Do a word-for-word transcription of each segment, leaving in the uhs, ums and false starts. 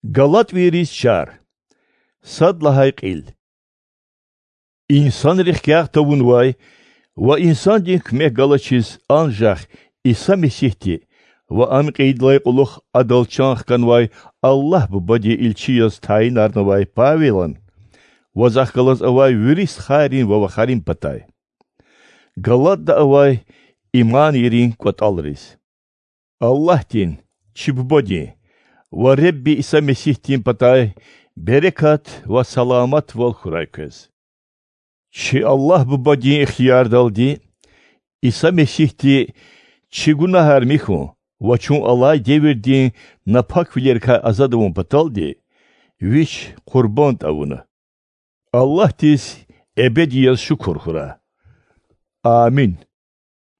Галатвийриз чар. Сад лагьай кьил. Инсанрихъ кӀягъ тавунвай ва инсандин куьмек галачиз анжах Иса Месигьди ва Ам кьейидалай кьулухъ Адал чан хканвай Аллагь Бубадин илчи яз тайинарнавай Павелан ва захъ галаз авай вири стхайрин ва вахарин патай. Галатда авай иманийрин кӀватӀалриз. Аллагьдин, чи Бубадин ва Ребби Иса Месигьдин патай берекат ва саламатвал хьурай квез. Чи Аллагь Бубадин ихтиярдалди Иса Месигьди чи гунагьар михьун ва чун алай девирдин напаквилерикай азад авун паталди Вич къурбанд авуна. Аллагьдиз эбеди яз шукур хьурай. Амин.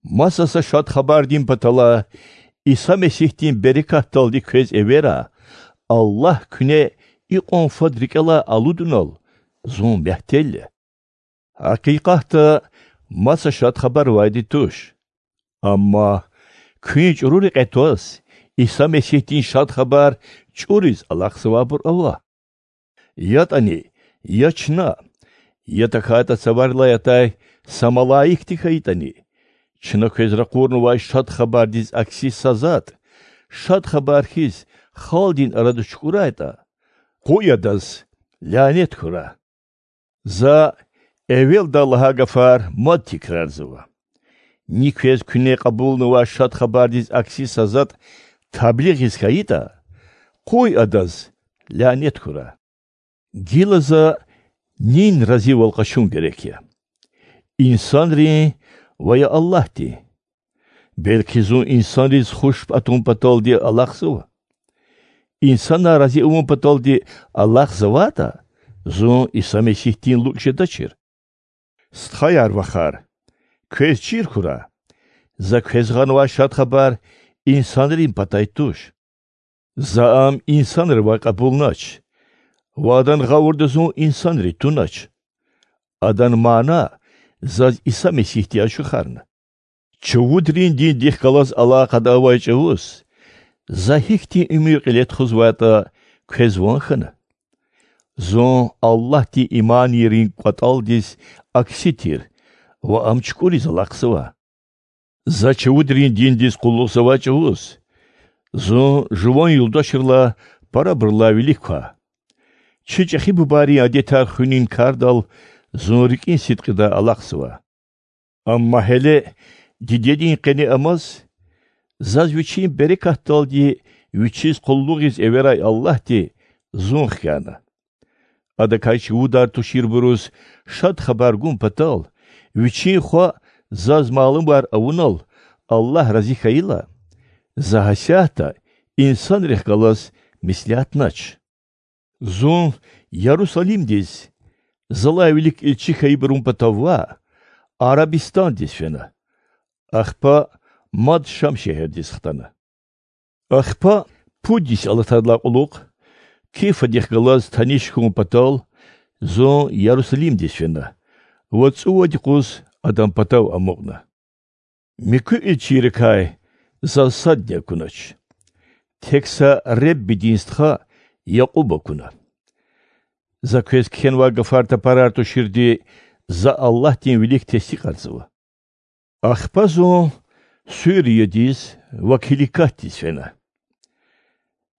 Маса са Шад Хабардин паталай, Иса Месигьдин берекатдалди квез эвера, Аллагь куьне икьван фад рикӀелай алудунал, зун мягьтел я. Гьакъикъатда, маса Шад Хабар авайди туш. Амма куьн чӀуру рекье тваз, Иса Месигьдин Шад Хабар чӀуриз алахъзавайбур ава. ЯтӀани, я чна, я тахьайтӀа цаварилай атай са малаикди хьайитӀани, чна квез ракъурнавай Шад Хабардиз акси са затӀ, Шад Хабар хьиз, халкьдин арада чукӀурайтӀа, къуй адаз лянет хьурай. За эвелдай лагьай гафар мад тикрарзава. Ни квез куьне кьабулнавай Шад Хабардиз акси са затӀ таблигъиз хьайитӀа, къуй адаз лянет хьурай. Гила за нин разивал къачун герек я? Инсанрин ва я Аллагьдин? Белки зун инсанриз хуш атун паталди алахъзава? Инсанар рази авун паталди алахъзавайтӀа, зун Иса Месигьдин лукӀ жедачир. Стхаяр-вахар, квез чир хьурай, за квез гъанвай Шад Хабар инсанрин патай туш. За ам инсанривай кьабулнач ва адан гъавурда зун инсанри тунач. Адан мана заз Иса Месигьди ачухарна. Чувудрин диндихъ галаз алакъада авай чӀавуз за гьихьтин уьмуьр кьиле тухузвайтӀа квез ван хьана. Зун Аллагьдин иманийрин кӀватӀалдиз акси тир ва ам чукӀуриз алахъзава. За чувудрин диндиз къуллугъзавай чӀавуз зун жуван юлдашрилай парабурулай вилик ква. Чи чӀехи бубайрин адетар хуьнин кардал зун рикӀин сидкьидай алахъзава. Амма гьеле дидедин къене амаз, заз вичин берекатдалди вичиз къуллугъиз эверай Аллагьди зун хкяна. Адакай чувудар туширбуруз Шад Хабар гун патал, вичин хва заз малумар авунал Аллагь рази хьайила, за гьасятда инсанрихъ галаз меслятнач. Зун Ярусалимдиз, залай вилик илчи хьайибурун патав ваъ, Арабистандиз фена, ахпа мад Шам шегьердиз хтана. Ахпа пуд йис алатайдалай кьулухъ, Кифадихъ галаз таниш хьун патал, зун Ярусалимдиз фена ва цӀувад юкъуз адан патав амукьна. Муькуь илчийрикай заз садни акунач, тек са Реббидин стха Якьуб акуна. За квез кхьенвай гафар тапарар туширди за Аллагьдин вилик тестикьарзава. Ахпа зун Суриядиз ва Киликатдиз фена.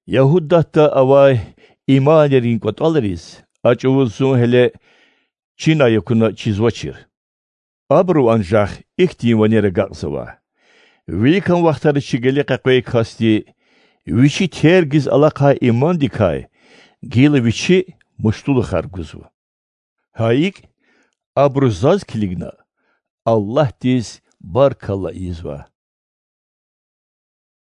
Ягьудатда авай иманийрин кӀватӀалриз а чӀавуз зун гьеле чинай акуна чизвачир. Абуру анжах ихьтин ванер агакьзава: виликан вахтара чи геле къекъвей касди вичи тергиз алахъай имандикай гила вичи муштулухар гузва. Гьа икӀ, абуру заз килигна Аллагьдиз баркалла ийизва.